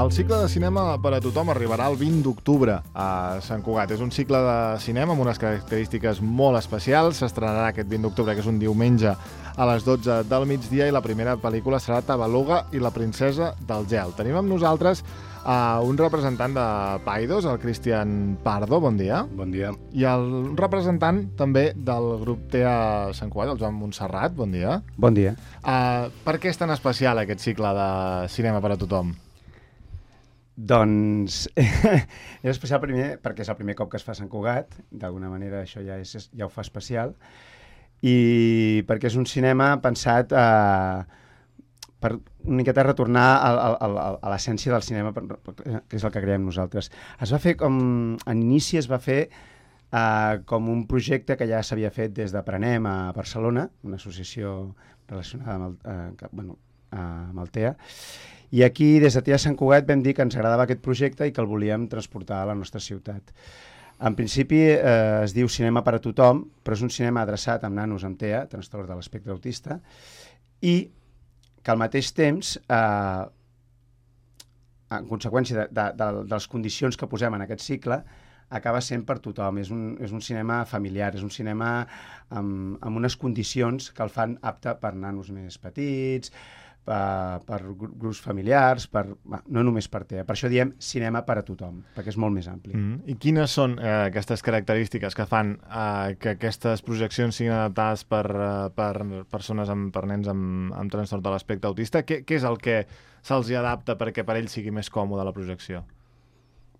El cicle de cinema per a tothom arribarà el 20 d'octubre a Sant Cugat. És un cicle de cinema amb unes característiques molt especials. S'estrenarà aquest 20 d'octubre, que és un diumenge, a les 12 del migdia, i la primera pel·lícula serà Tabaluga i la princesa del gel. Tenim amb nosaltres un representant de Paidós, el Cristian Pardo, bon dia. Bon dia. I un representant també del grup TEA Sant Cugat, el Joan Montserrat, bon dia. Bon dia. Per què és tan especial aquest cicle de cinema per a tothom? Doncs és especial primer perquè és el primer cop que es fa a Sant Cugat, d'alguna manera això ja ho fa especial, i perquè és un cinema pensat per una miqueta retornar a l'essència del cinema, que és el que creiem nosaltres. Es va fer en inici es va fer com un projecte que ja s'havia fet des d'Aprenem a Barcelona, una associació relacionada amb el TEA, i aquí, des de TEA Sant Cugat, vam dir que ens agradava aquest projecte i que el volíem transportar a la nostra ciutat. En principi es diu Cinema per a tothom, però és un cinema adreçat amb nanos amb TEA, trastorn de l'espectre autista, i que al mateix temps, en conseqüència de les condicions que posem en aquest cicle, acaba sent per tothom. És un cinema familiar, és un cinema amb unes condicions que el fan apte per nanos més petits, per grups familiars, no només per TEA. Per això diem cinema per a tothom, perquè és molt més ampli. I quines són aquestes característiques que fan que aquestes projeccions siguin adaptades per persones, per nens amb trastorn de l'espectre autista? Què és el que se'ls adapta perquè per ells sigui més còmode la projecció?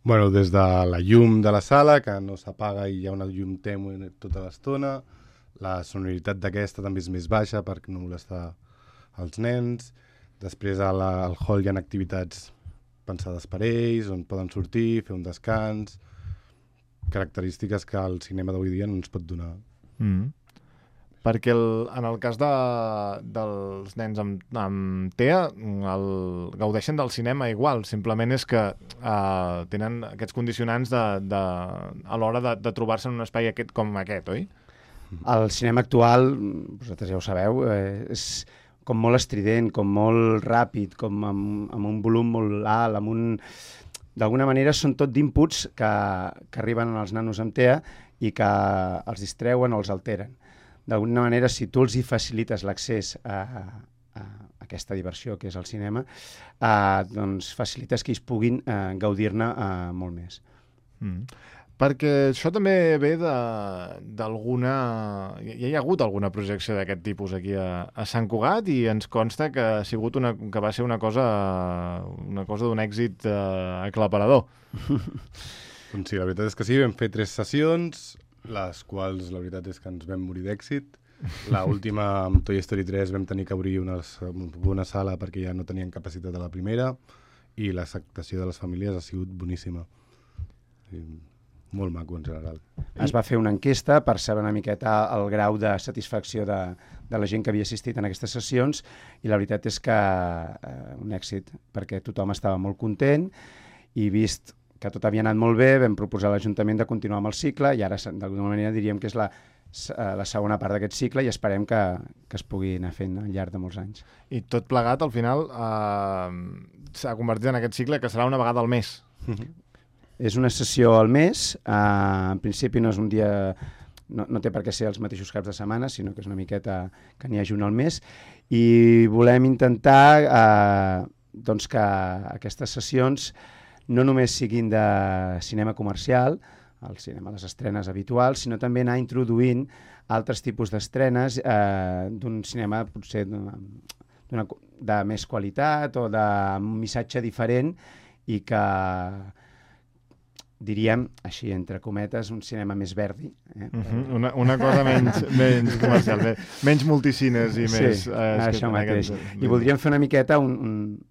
Bueno, des de la llum de la sala, que no s'apaga i hi ha una llum tènue tota l'estona, la sonoritat d'aquesta també és més baixa perquè no molesta els nens. Després al hall hi ha activitats pensades per ells, on poden sortir, fer un descans, característiques que el cinema d'avui dia no ens pot donar. Perquè en el cas dels nens amb TEA gaudeixen del cinema igual, simplement és que tenen aquests condicionants a l'hora de trobar-se en un espai com aquest, oi? El cinema actual, vosaltres ja ho sabeu, és com molt estrident, com molt ràpid, com amb un volum molt alt, d'alguna manera són tot d'inputs que arriben als nanos amb TEA i que els distreuen o els alteren. D'alguna manera, si tu els hi facilites l'accés a aquesta diversió que és el cinema, doncs facilites que ells puguin gaudir-ne molt més. Perquè això també ve d'alguna... Ja hi ha hagut alguna projecció d'aquest tipus aquí a Sant Cugat i ens consta que ha sigut que va ser una cosa d'un èxit aclaparador. Doncs sí, la veritat és que sí, vam fer 3 sessions, les quals la veritat és que ens vam morir d'èxit. L'última, amb Toy Story 3, vam tenir que obrir una sala perquè ja no tenien capacitat a la primera, i l'acceptació de les famílies ha sigut boníssima. Molt maco, en general. Es va fer una enquesta per saber una miqueta el grau de satisfacció de la gent que havia assistit en aquestes sessions, i la veritat és que un èxit, perquè tothom estava molt content, i vist que tot havia anat molt bé, vam proposar a l'Ajuntament de continuar amb el cicle, i ara, d'alguna manera, diríem que és la segona part d'aquest cicle, i esperem que es pugui anar fent al llarg de molts anys. I tot plegat, al final, s'ha convertit en aquest cicle que serà una vegada al mes. És una sessió al mes, en principi no és un dia, no té per què ser els mateixos caps de setmana, sinó que és una miqueta que n'hi hagi un al mes, i volem intentar doncs que aquestes sessions no només siguin de cinema comercial, el cinema, les estrenes habituals, sinó també anar introduint altres tipus d'estrenes d'un cinema potser de més qualitat o d'un missatge diferent, i que diríem, així, entre cometes, un cinema més verdi. Una cosa menys comercial, menys multicines i més... Sí, això mateix. I voldríem fer una miqueta un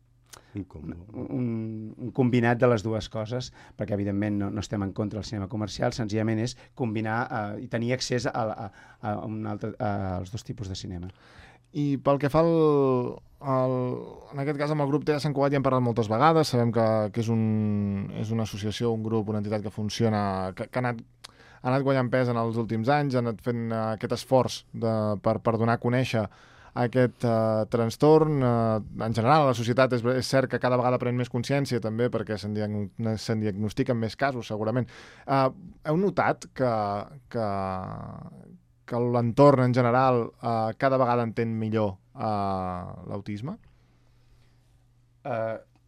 combinat de les dues coses, perquè evidentment no estem en contra del cinema comercial, senzillament és combinar i tenir accés als dos tipus de cinema. I pel que fa en aquest cas amb el grup TEA Sant Cugat ja hem parlat moltes vegades, sabem que és una associació, un grup, una entitat que funciona, que ha anat guanyant pes en els últims anys, ha anat fent aquest esforç per donar a conèixer aquest trastorn. En general, la societat és cert que cada vegada pren més consciència també perquè se'n diagnostiquen més casos, segurament. Heu notat que l'entorn en general cada vegada entén millor l'autisme?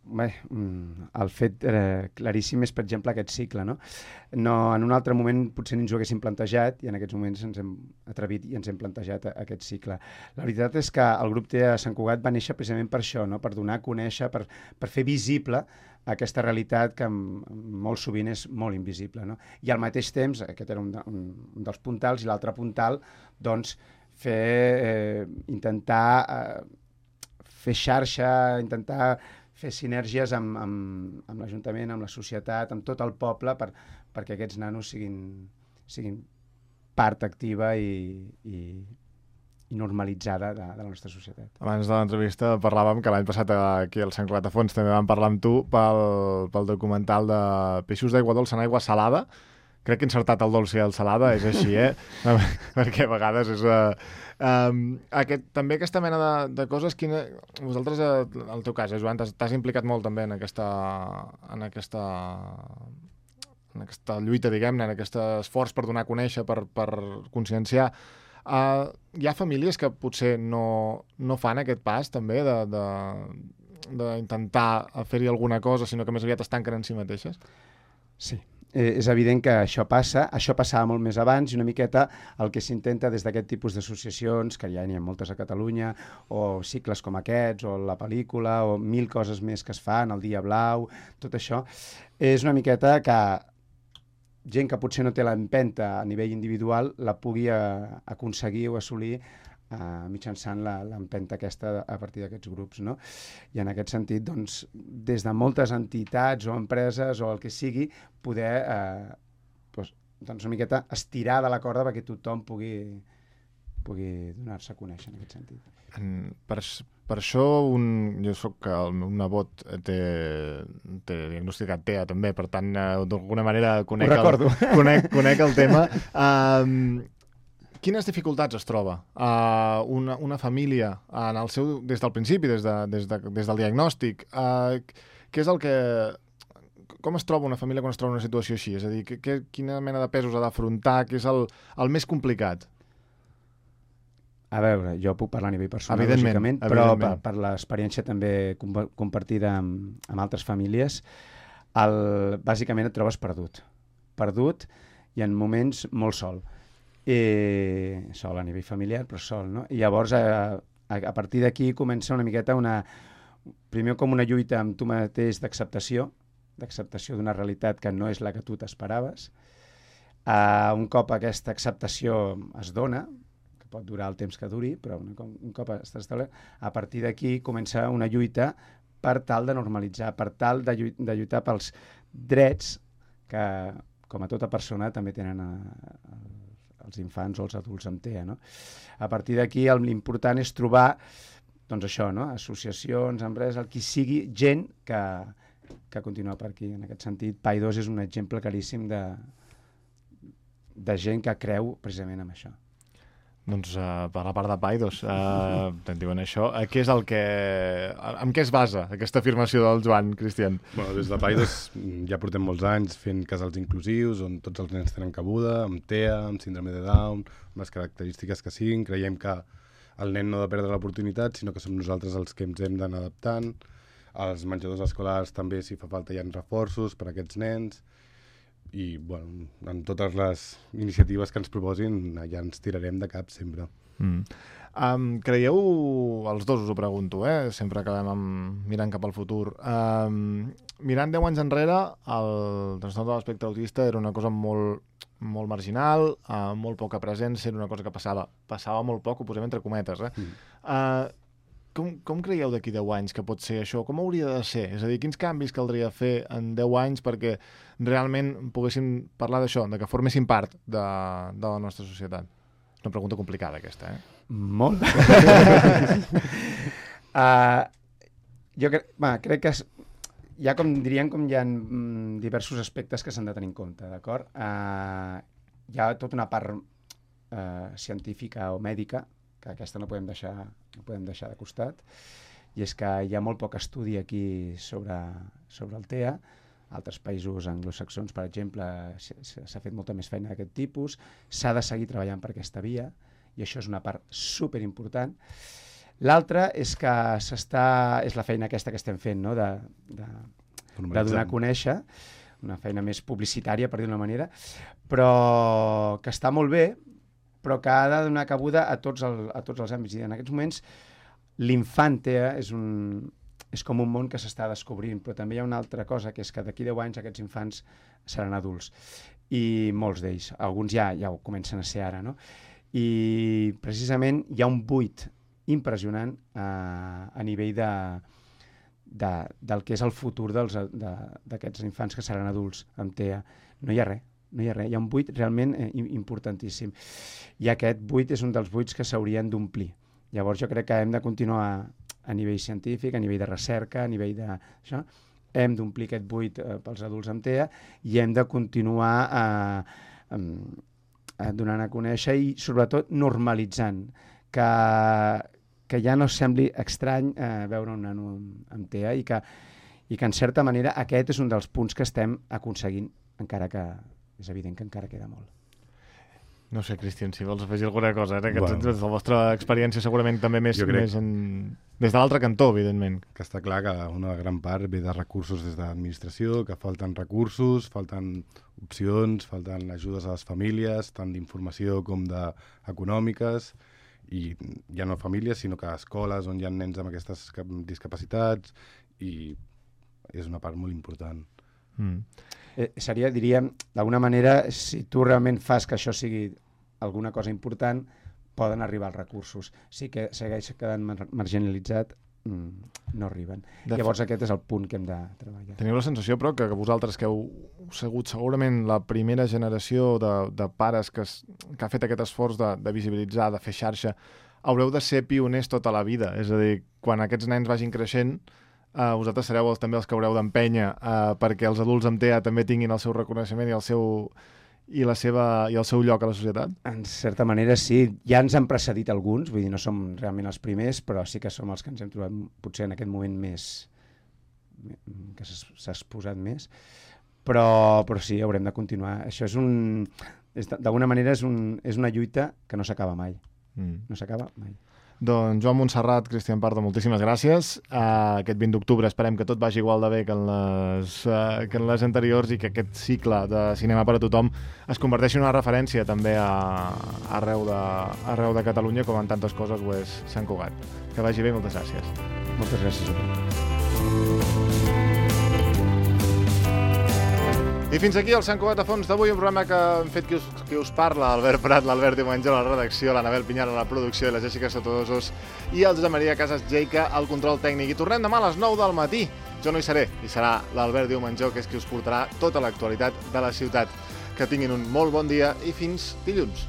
El fet claríssim és, per exemple, aquest cicle. No, en un altre moment potser ni ens ho haguéssim plantejat i en aquests moments ens hem atrevit i ens hem plantejat aquest cicle. La veritat és que el grup TEA Sant Cugat va néixer precisament per això, no? Per donar a conèixer, per fer visible aquesta realitat que molt sovint és molt invisible. No? I al mateix temps, aquest era un dels puntals, i l'altre puntal, doncs, intentar fer xarxa, intentar fer sinergies amb l'Ajuntament, amb la societat, amb tot el poble, perquè aquests nanos siguin part activa i normalitzada de la nostra societat. Abans de l'entrevista parlàvem que l'any passat aquí al Sant Cugat a Fons també vam parlar amb tu pel documental de Peixos d'aigua dolça en aigua salada. Crec que he encertat el dolç i el salada, és així, perquè a vegades és... també aquesta mena de coses, vosaltres, en el teu cas, Joan, t'has implicat molt també en aquesta lluita, diguem-ne, en aquest esforç per donar a conèixer, per conscienciar. Hi ha famílies que potser no fan aquest pas també d'intentar fer-hi alguna cosa, sinó que més aviat es tanquen en si mateixes? Sí. És evident que això passava molt més abans i una miqueta el que s'intenta des d'aquest tipus d'associacions, que ja n'hi ha moltes a Catalunya, o cicles com aquests, o la pel·lícula, o 1000 coses més que es fan, el Dia Blau, tot això, és una miqueta que gent que potser no té l'empenta a nivell individual la pugui aconseguir o assolir mitjançant l'empenta aquesta a partir d'aquests grups, no? I en aquest sentit, doncs, des de moltes entitats o empreses o el que sigui, poder doncs una miqueta estirar de la corda perquè tothom pugui donar-se a conèixer en aquest sentit. Per això jo soc el meu nebot té diagnosticat TEA també, per tant, d'alguna manera conec el tema. Quines dificultats es troba una família en el seu, des del principi, des del diagnòstic? Què és el que... Com es troba una família quan es troba en una situació així? És a dir, quina mena de pesos ha d'afrontar? Què és el més complicat? A veure, jo puc parlar a nivell personal, lògicament, però per l'experiència també compartida amb altres famílies, bàsicament et trobes perdut i en moments molt sol. Sol a nivell familiar, però sol, no? I llavors, a partir d'aquí comença una miqueta primer com una lluita amb tu mateix d'acceptació d'una realitat que no és la que tu t'esperaves. Un cop aquesta acceptació es dona, que pot durar el temps que duri, però un cop està establert, a partir d'aquí comença una lluita per tal de normalitzar, per tal de lluitar pels drets que, com a tota persona, també tenen els infants o els adults amb TEA, no? A partir d'aquí l'important és trobar, doncs això, no? Associacions, empreses, el qui sigui, gent que continua per aquí. En aquest sentit, PAI2 és un exemple claríssim de gent que creu precisament en això. Doncs per la part de PAI2, te'n diuen això, en què es basa aquesta afirmació del Joan, Cristian? Bueno, des de PAI2 ja portem molts anys fent casals inclusius on tots els nens tenen cabuda, amb TEA, amb síndrome de Down, amb les característiques que siguin. Creiem que el nen no ha de perdre l'oportunitat, sinó que som nosaltres els que ens hem d'anar adaptant. Als menjadors escolars també, si fa falta, hi ha reforços per a aquests nens. I, bueno, en totes les iniciatives que ens proposin ja ens tirarem de cap sempre. Creieu, els dos us ho pregunto, sempre acabem mirant cap al futur, mirant 10 anys enrere, el trastorn de l'espectre autista era una cosa molt, molt marginal, molt poca presència, era una cosa que passava molt poc, ho posem entre cometes. Com creieu d'aquí 10 anys que pot ser això? Com hauria de ser? És a dir, quins canvis caldria fer en 10 anys perquè realment poguéssim parlar d'això, de que formessin part de la nostra societat? És una pregunta complicada, aquesta, Molt. Jo crec que hi ha diversos aspectes que s'han de tenir en compte, d'acord? Hi ha tota una part científica o mèdica que aquesta no podem deixar de costat, i és que hi ha molt poc estudi aquí sobre el TEA. Altres països anglosaxons, per exemple, s'ha fet molta més feina d'aquest tipus, s'ha de seguir treballant per aquesta via, i això és una part superimportant. L'altra és que és la feina aquesta que estem fent, no? de donar a conèixer, una feina més publicitària, per dir d'una manera, però que està molt bé, però que ha de donar cabuda a tots els àmbits. I en aquests moments l'infant TEA és com un món que s'està descobrint, però també hi ha una altra cosa, que és que d'aquí 10 anys aquests infants seran adults, i molts d'ells, alguns ja ho comencen a ser ara, no? I precisament hi ha un buit impressionant a nivell del que és el futur d'aquests infants que seran adults amb TEA. No hi ha res, hi ha un buit realment importantíssim. I aquest buit és un dels buits que s'haurien d'omplir. Llavors jo crec que hem de continuar a nivell científic, a nivell de recerca, a nivell d'això, hem d'omplir aquest buit pels adults amb TEA i hem de continuar donant a conèixer i sobretot normalitzant que ja no sembli estrany veure un nano amb TEA i que en certa manera aquest és un dels punts que estem aconseguint, encara que és evident que encara queda molt. No sé, Cristian, si vols afegir alguna cosa, des de la vostra experiència segurament també més des de l'altre cantó, evidentment. Que està clar que una gran part ve de recursos des de l'administració, que falten recursos, falten opcions, falten ajudes a les famílies, tant d'informació com econòmiques, i ja no famílies, sinó que escoles on hi ha nens amb aquestes discapacitats, i és una part molt important. Seria, diríem, d'alguna manera, si tu realment fas que això sigui alguna cosa important, poden arribar els recursos. Si que segueix quedant marginalitzat, no arriben. Llavors aquest és el punt que hem de treballar. Teniu la sensació, però, que vosaltres que heu sigut segurament la primera generació de pares que ha fet aquest esforç de visibilitzar, de fer xarxa, haureu de ser pioners tota la vida. És a dir, quan aquests nens vagin creixent, vosaltres sereu també els que haureu d'empènyer perquè els adults amb TEA també tinguin el seu reconeixement i el seu lloc a la societat? En certa manera sí. Ja ens han precedit alguns, vull dir, no som realment els primers, però sí que som els que ens hem trobat potser en aquest moment més que s'ha exposat més, però sí, haurem de continuar. Això d'alguna manera és una lluita que no s'acaba mai. No s'acaba mai. Doncs Joan Montserrat, Cristian Pardo, moltíssimes gràcies. Aquest 20 d'octubre esperem que tot vagi igual de bé que en les anteriors i que aquest cicle de cinema per a tothom es converteixi en una referència també arreu de Catalunya, com en tantes coses ho és Sant Cugat. Que vagi bé, moltes gràcies. Moltes gràcies a tu. I fins aquí el Sant Cugat a fons d'avui, un programa que hem fet qui us parla, Albert Prat, l'Albert Diumenge a la redacció, l'Anabel Pinyar a la producció i la Jessica Sotodosos i el Josep Maria Casas Jeica al control tècnic. I tornem demà a les 9 del matí. Jo no hi seré, hi serà l'Albert Diumenge, que és qui us portarà tota l'actualitat de la ciutat. Que tinguin un molt bon dia i fins dilluns.